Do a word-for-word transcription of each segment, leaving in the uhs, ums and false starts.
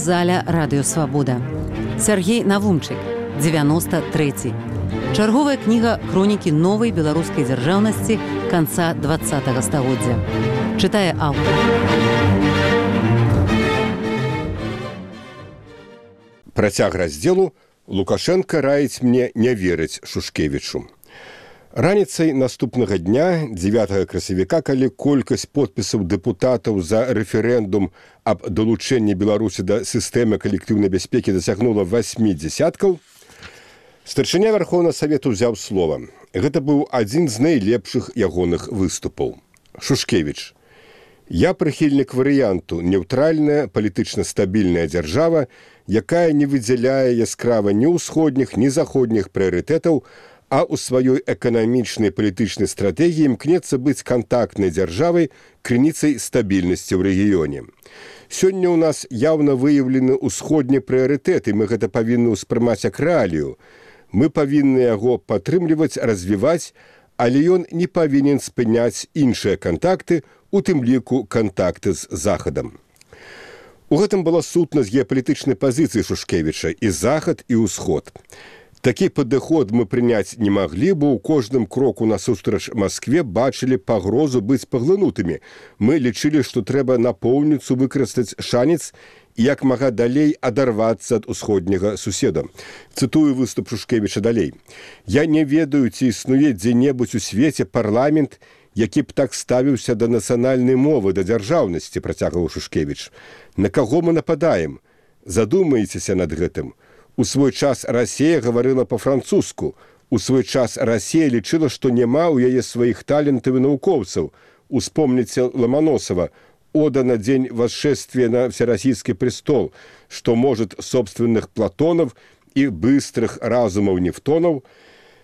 аўдыёзаля радыёсвабода. Сяргей Навумчык, дзевяноста трэці. Чарговая кніга хронікі новай беларускай дзяржаўнасці канца дваццатага стагоддзя. Чытае аўтар. Працяг раздзелу Лукашенка раіць мне не верыць Шушкевічу. Раніцай наступнага дня, дзевятага красавіка, калі колькасць подпісаў дэпутатаў за рэферэндум аб далучэнні Беларусі да сістэмы калектыўнай бяспекі дасягнула васьмі дзесяткаў, старшыня Верховнага Савету ўзяў слова. Гэта быў адзін з найлепшых ягоных выступаў. Шушкевіч. Я прыхільнік варыянту «Неўтральная, палітычна стабільная дзяржава, якая не выдзяляе яскрава ні ўсходніх, ні заходніх прыярытэтаў, а ў сваёй эканамічнай палітычнай стратэгіі імкнецца быць кантактнай дзяржавай, крыніцай стабільнасці ў рэгіёне. Сёння ў нас яўна выяўлены ўсходні прыярытэт, і мы гэта павінны ўспрымаць як рэалію. Мы павінны яго падтрымліваць, развіваць, але ён не павінен спыняць іншыя кантакты, у тым ліку кантакты з Захадам. У гэтым была сутнасць геапалітычнай пазіцыі Шушкевіча і Захад, і ўсход. Такі падыход мы прыняць не маглі, бо ў кожным кроку насустрач Маскве бачылі пагрозу быць паглынутымі. Мы лічылі, што трэба напоўніцу выкарыстаць шанец і як мага далей адарвацца ад усходняга суседа. Цытую выступ Шушкевіча далей. Я не ведаю, ці існуе дзе-небудзь у свеце парламент, які б так ставіўся да нацыянальнай мовы, да дзяржаўнасці, працягваў Шушкевіч. На каго мы нападаем? Задумайцеся над гэтым. У свой час Расія гаварыла па-французску. У свой час Расія лічыла, што няма ў яе сваіх талентаў і навукоўцаў. Успомніце Ломоносова, ода на дзень восшествия на всероссийский престол, что может собственных Платонов и быстрых разумов Нефтонов.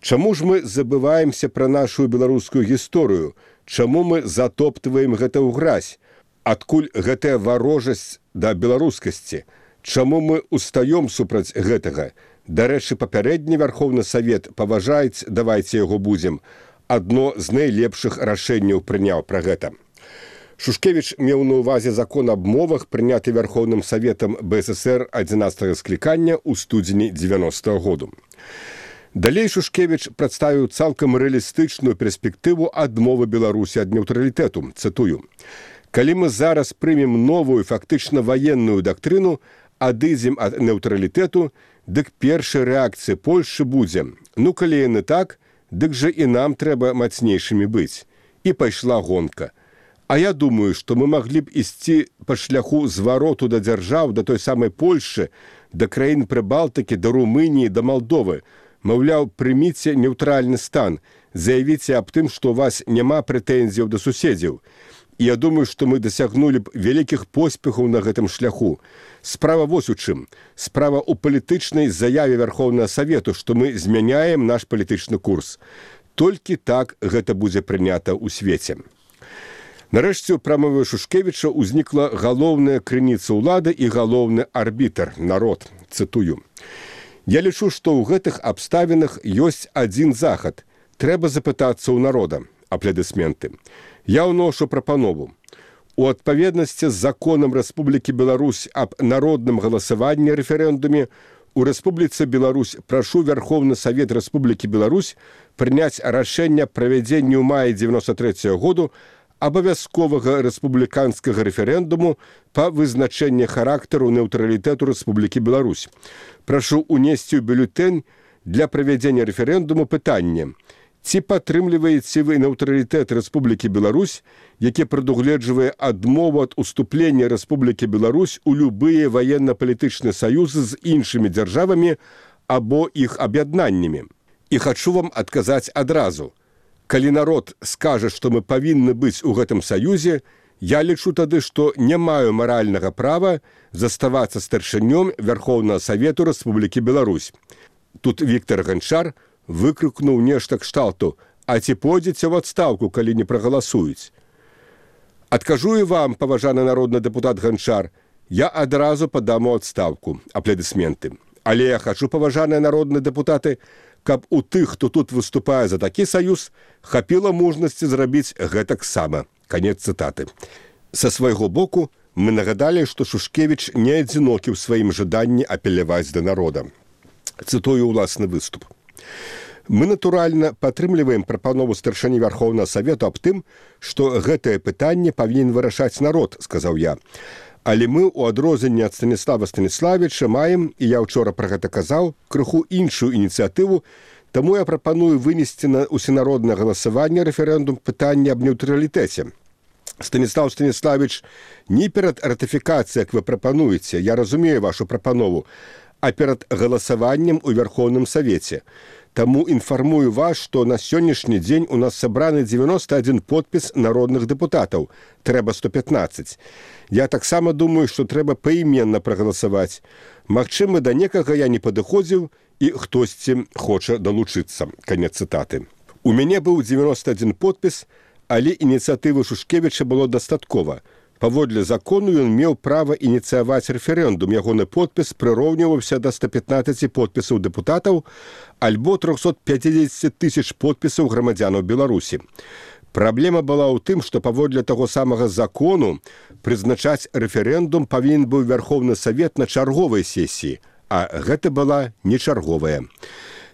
Чаму ж мы забываемся пра нашу беларускую гісторыю? Чаму мы затоптваем гэта ў гразь? Адкуль гэтая варожасць да беларускасці? Чаму мы устаём супраць гэтага? Дарэчы, папярэдні Верховны Савет паважаюць, давайце яго будзем. Адно з найлепшых рашэнняў прыняў пра гэта. Шушкевіч меў на ўвазе закон аб мовах, прыняты Верховным Саветам БССР адзінаццатага склікання ў студзені дзевяностага году. Далей Шушкевіч прадставіў цалкам рэалістычную перспектыву адмовы Беларусі ад нейтралітэту. Цытую. Калі мы зараз прымем новую, фактычна ваенную дактрыну, адыдзем ад нейтралітэту, дык першая рэакцыя Польшчы будзе. Ну, калі яны так, дык жа і нам трэба мацнейшымі быць. І пайшла гонка. А я думаю, што мы маглі б ісці па шляху звароту да дзяржаў, да той самай Польшчы, да краін Прыбалтыкі, да Румыніі, да Малдовы. Маўляў, прыміце нейтральны стан, заявіце аб тым, што ў вас няма прэтэнзіяў да суседзяў. І я думаю, што мы дасягнулі б вялікіх поспехаў на гэтым шляху. Справа вось у чым. Справа ў палітычнай заяве Верховнага Савету, што мы змяняем наш палітычны курс. Толькі так гэта будзе прынята ў свеце. Нарэшце, у прамове Шушкевіча ўзнікла галоўная крыніца ўлады і галоўны арбітр, народ. Цытую. Я лічу, што ў гэтых абставінах ёсць адзін захад. Трэба запытацца ў народа. Аплодысменты. Я ўношу прапанову. У адпаведнасці з законам Рэспублікі Беларусь аб народным галасаванні рэферэндуме у Рэспубліцы Беларусь прашу Верховны Савет Рэспублікі Беларусь прыняць рашэнне правядзення ў маі дзевяноста трэцяга году абавязковага рэспубліканскага рэферэндуму па вызначэнні характару нейтралітэту Рэспублікі Беларусь. Прашу унесці ў бюлетэнь для правядзення рэферэндуму пытанне. Ці падтрымліваеце вы нейтралітэт Рэспублікі Беларусь, які прадугледжвае адмову ад уступлення Рэспублікі Беларусь у любыя ваенна-палітычныя саюзы з іншымі дзяржавамі або іх аб'яднаннямі? І хачу вам адказаць адразу. Калі народ скажа, што мы павінны быць у гэтым саюзе, я лічу тады, што не маю маральнага права заставацца старшынём Верховнага Савету Рэспублікі Беларусь. Тут Віктор Ганчар выкрыкнуў нешта кшталту, а ці пойдзеце ў адстаўку, калі не прагаласуюць. Адкажу і вам, паважаны народны дэпутат Ганчар, я адразу падам у адстаўку. Аплодысменты. Але я хачу, паважаныя народныя дэпутаты, каб у тых, хто тут выступае за такі саюз, хапіла мужнасці зрабіць гэтак сама. Канец цытаты. Са свайго боку мы нагадалі, што Шушкевіч не адзінокі ў сваім жаданні апеляваць да народа. Цытую ўласны выступ. Мы, натуральна, падтрымліваем прапанову старшыні Вярхоўнага Савету аб тым, што гэтае пытанне павінен вырашаць народ, сказаў я. Але мы, у адрозненне ад Станіслава Станіславіча, маем, і я ўчора пра гэта казаў, крыху іншую ініцыятыву, таму я прапаную вынесці на усенароднае галасаванне рэферэндум пытання аб нейтралітэце. Станіслав Станіславіч, не перад ратыфікацыяй, як вы прапануеце, я разумею вашу прапанову, а перад галасаваннем у Вярхоўным Савеце. Таму інфармую вас, што на сённяшні дзень у нас сабраны дзевяносто адзін подпіс народных дэпутатаў. Трэба сто пятнаццаць. Я таксама думаю, што трэба паіменна прагаласаваць. Магчыма, да некага я не падыходзіў, і хтосьці хоча далучыцца. Канец цытаты. У мяне быў дзевяносто адзін подпіс, але ініцыятывы Шушкевіча было дастаткова. Паводле закону ён меў права ініцыяваць рэферэндум. Ягоны подпіс прыраўніваўся да ста пятнаццаці подпісаў дэпутатаў альбо трохсот пяцідзесяці тысяч подпісаў грамадзянаў Беларусі. Праблема была ў тым, што паводле таго самага закону прызначаць рэферэндум павінен быў Вярхоўны Савет на чарговай сесіі, а гэта была не чарговая.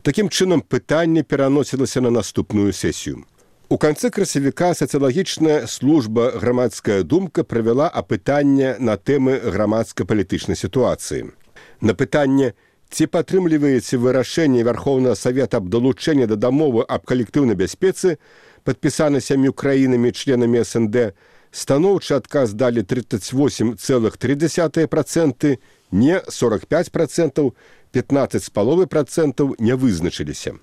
Такім чынам пытанне пераносілася на наступную сесію. У канцы красавіка сацыялагічная служба «Грамадская думка» правяла апытанне на тэмы грамадска-палітычнай сітуацыі. На пытанне, ці падтрымліваеце вы рашэнне Вярхоўнага Савета аб далучэнні да дамовы аб калектыўнай бяспецы, падпісаны сямю краінамі членамі эс эн дэ, станоўчы адказ далі тридцать восемь целых три десятых процента, не сорок пять процентов, пятнадцать целых пять десятых процента не вызначыліся.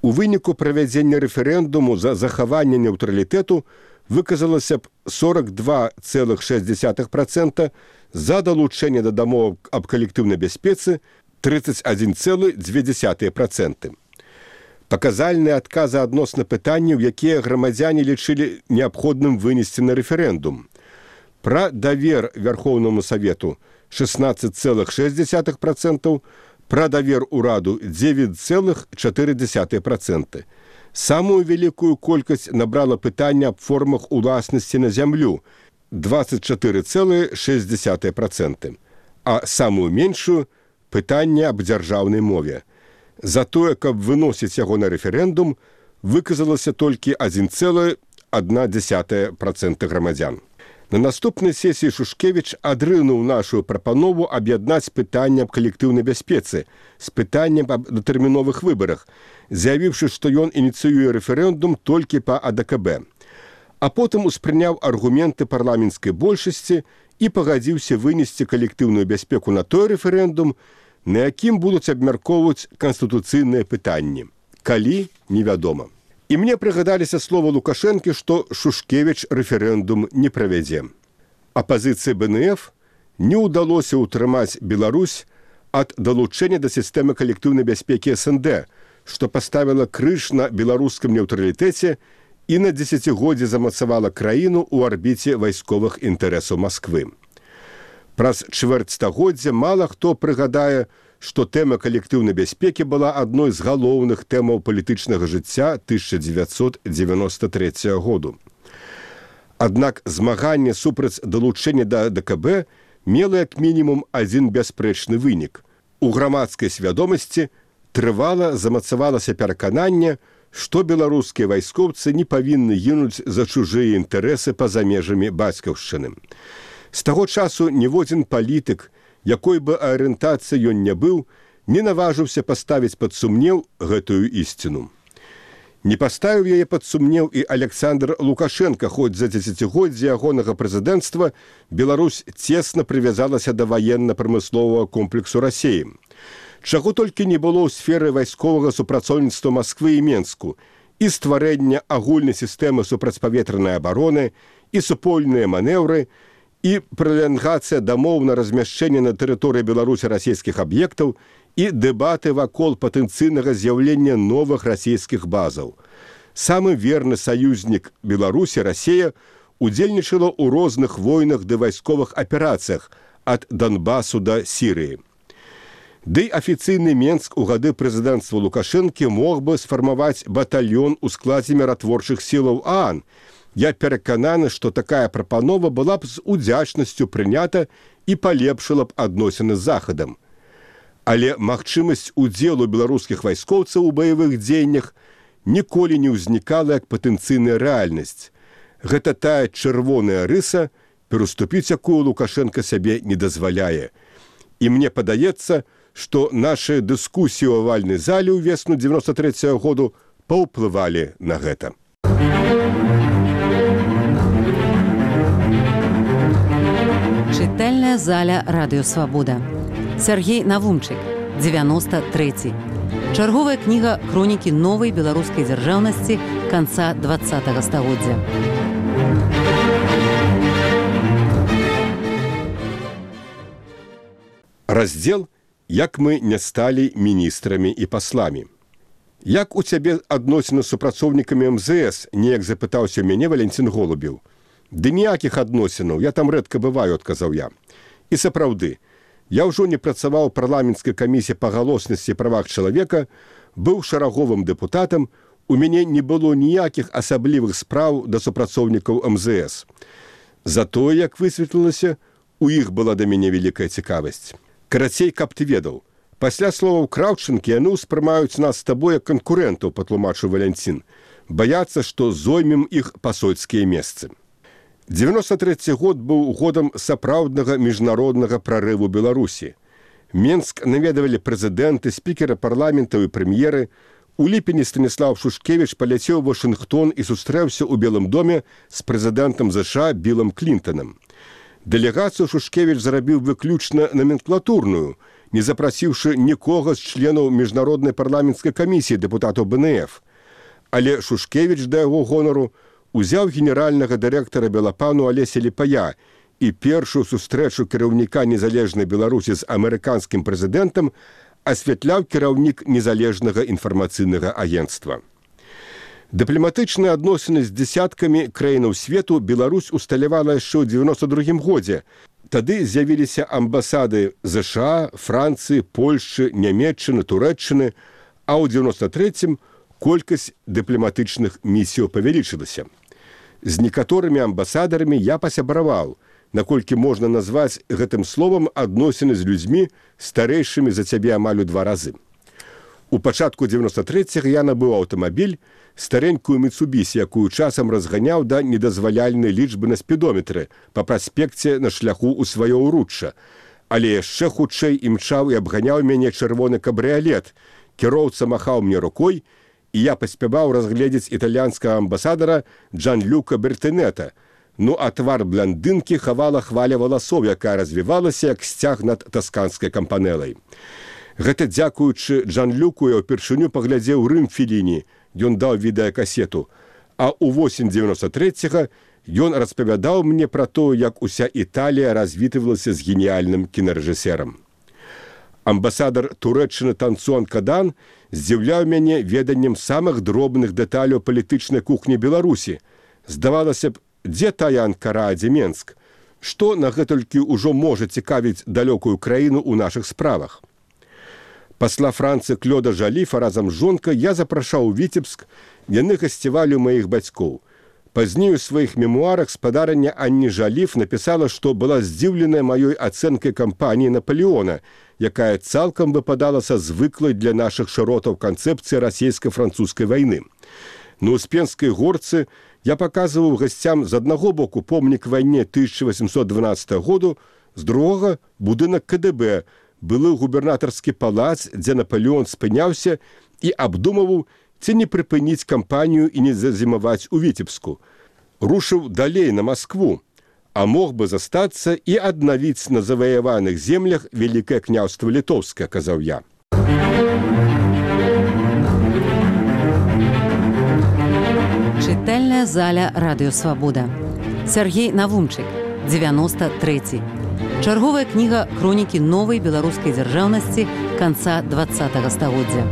У выніку правядзення рэферэндуму за захаванне нейтралітэту выказалася б сорок два целых шесть десятых процента, за далучэнне да дамоў аб калектыўнай бяспецы тридцать один целых две десятых процента. Паказальныя адказы адносна пытанняў, якія грамадзяне лічылі неабходным вынесці на рэферэндум. Пра давер Вярхоўнаму Савету шестнадцать целых шесть десятых процента, пра давер ураду девять целых четыре десятых процента. Самую вялікую колькасць набрала пытанне аб формах уласнасці на зямлю двадцать четыре целых шесть десятых процента, а самую меншую пытанне аб дзяржаўнай мове. За тое, каб выносіць яго на рэферэндум, выказалася толькі один целых одна десятая процента грамадзян. На наступнай сесіі Шушкевіч адрынуў нашу прапанову аб'яднаць пытанне аб калектыўнай бяспецы з пытаннем аб датэрміновых выбарах, заявіўшы, што ён ініцыюе рэферэндум толькі па а дэ ка бэ. А потым успрыняў аргументы парламенцкай большасці і пагадзіўся вынесці калектыўную бяспеку на той рэферэндум, на якім будуць абмяркоўваць канстытуцыйныя пытанні. Калі, невядома. І мне прыгадаліся слова Лукашэнкі, што Шушкевіч рэферэндум не правядзе. Апазіцыі бэ эн эф не ўдалося ўтрымаць Беларусь ад далучэння да сістэмы калектыўнай бяспекі эс эн дэ, што паставіла крыж на беларускім нейтралітэце і на дзесяцігоддзе замацавала краіну ў арбіце вайсковых інтарэсаў Масквы. Праз чвэрць стагоддзя мала хто прыгадае, што тэма калектыўнай бяспекі была адной з галоўных тэмаў палітычнага жыцця тысяча дзевяцьсот дзевяносто трэцяга году. Аднак змаганне супраць далучэння да а дэ ка бэ мела як мінімум адзін бясспрэчны вынік. У грамадскай свядомасці трывала замацавалася перакананне, што беларускія вайскоўцы не павінны гінуць за чужыя інтарэсы па-за межамі бацькаўшчыны. З таго часу ніводзін палітык, якой бы арыентацыі ён не быў, не наважыўся паставіць пад сумнеў гэтую ісціну. Не паставіў яе пад сумнеў і Александр Лукашенко, хоць за дзесяцігоддзе ягонага прэзідэнцтва Беларусь цесна прывязалася да ваенна-прамысловага комплексу Расіі. Чаго толькі не было ў сферы вайсковага супрацоўніцтва Масквы і Менску, і стварэння агульнай сістэмы супрацьпаветранай абароны, і супольныя манеўры, і пралангацыя дамоў на размяшчэнне на тэрыторыі Беларусі расійскіх аб'ектаў і дэбаты вакол патэнцыйнага з'яўлення новых расійскіх базаў. Самы верны саюзнік Беларусі, Расія, удзельнічала ў розных войнах ды вайсковых аперацыях ад Донбасу да Сірыі. Ды афіцыйны Менск у гады прэзідэнцтва Лукашэнкі мог бы сфармаваць батальён у складзе міратворчых сілаў а а эн, Я перакананы, што такая прапанова была б з удзячнасцю прынята і палепшыла б адносіны з захадам. Але магчымасць удзелу беларускіх вайскоўцаў у баявых дзеяннях ніколі не ўзнікала як патэнцыйная рэальнасць. Гэта тая чырвоная рыса, пераступіць якую Лукашенко сабе не дазваляе. І мне падаецца, што нашы дыскусіі ў авальнай зале ўвесну дзевяноста трэцяга году паўплывалі на гэта. Чытальная заля Радыё Свабода. Сяргей Навумчык, дзевяноста трэці. Чарговая кніга хронікі новай беларускай дзяржаўнасці канца дваццатага стагоддзя. Раздзел «Як мы не сталі міністрамі і пасламі». Як у цябе адносіны з супрацоўнікамі эм зэ эс, неяк запытаўся ў мяне Валентин Голубеў. Ды ніякіх адносінаў, я там рэдка бываю, адказаў я. І сапраўды, я ўжо не працаваў у парламенцкай камісіі па галоснасці і правах чалавека, быў шараговым дэпутатам, у мяне не было ніякіх асаблівых спраў да супрацоўнікаў эм зэ эс. Затое, як высветлілася, у іх была да мяне вялікая цікавасць. Карацей, каб ты ведаў, пасля словаў Краўчынкі яны ўспрымаюць нас з табой як канкурэнтаў, патлумачыў Валянцін. Баяцца, што зоймем іх пасольскія месцы. дзевяноста трэці год быў годам сапраўднага міжнароднага прарыву Беларусі. Менск наведавалі прэзідэнты, спікеры парламентаў і прэм'еры. У ліпені Станіслав Шушкевіч паляцеў у Вашынгтон і сустрэўся ў Белым доме з прэзідэнтам зэ ша Білам Клінтанам. Дэлегацыю Шушкевіч зарабіў выключна номенклатурную, не запрасіўшы нікога з членаў міжнароднай парламенцкай камісіі дэпутатаў бэ эн эф. Але Шушкевіч, да яго гонару, узяў генеральнага дырэктара Белапану Алеся Ліпая і першую сустрэчу кіраўніка незалежнай Беларусі з амерыканскім прэзідэнтам асвятляў кіраўнік незалежнага інфармацыйнага агенцтва. Дыпламатычныя адносіны з дзесяткамі краінаў свету Беларусь усталявала яшчэ ў дзевяноста другім годзе. Тады з'явіліся амбасады зэ ша, Францыі, Польшчы, Нямецчыны, Турэччыны, а ў дзевяноста трэцім колькасць дыпламатычных місіяў павялічылася. З некаторымі амбасадарамі я пасябраваў, наколькі можна назваць гэтым словам адносіны з людзьмі, старэйшымі за цябе амаль у два разы. У пачатку дзевяноста трэцяга я набыў аўтамабіль, старенькую Міцубісі, якую часам разганяў да недазваляльнай лічбы на спідометры па праспекце на шляху ў сваё ўручча. Але яшчэ хутчэй імчаў і абганяў мяне чырвоны кабрыялет. Кіроўца махаў мне рукой, і я паспяваў разгледзець італьянскага амбасадара Джан-Люка Бертынета. Ну, а твар бландынкі хавала хваля валасоў, якая развівалася, як сцяг над тасканскай кампанелай. Гэта дзякуючы Джан-Люку я ўпершыню паглядзеў Рым Феліні, ён даў відэакасету. А ў восень дзевяноста трэцяга ён распавядаў мне пра то, як уся Італія развітвалася з геніяльным кінарэжысерам. Амбасадар Турэччыны Танцуан Кадан здзіўляў мяне веданнем самых дробных дэталяў палітычнай кухні Беларусі. Здавалася б, дзе тая Анкара, а дзе Менск? Што на гэтулькі ўжо можа цікавіць далёкую краіну ў нашых справах? Пасла Францыі Клёда Жаліфа разам з жонкай я запрашаў у Віцебск, яны гасцявалі ў маіх бацькоў. Пазней у сваіх мемуарах спадарня Анні Жаліф напісала, што была здзіўленая маёй ацэнкай кампаніі Напалеона, якая цалкам выпадала са звыклай для нашых шыротаў канцэпцыі расійска-французскай вайны. На Успенскай горцы я паказваў гасцям з аднаго боку помнік вайне тысяча васемсот дванаццатага году, з другога будынак ка дэ бэ, былы губернатарскі палац, дзе Напалеон спыняўся і абдумаваў, ці не прыпыніць кампанію і не зазімаваць у Віцебску. Рушыў далей на Маскву, а мог бы застацца і аднавіць на заваяваных землях Вялікае княўства Літоўскае, казаў я. Чытальная заля Радыё Свабода. Сяргей Навумчык, дзевяноста трэці. Чарговая кніга хронікі новай беларускай дзяржаўнасці канца дваццатага стагоддзя.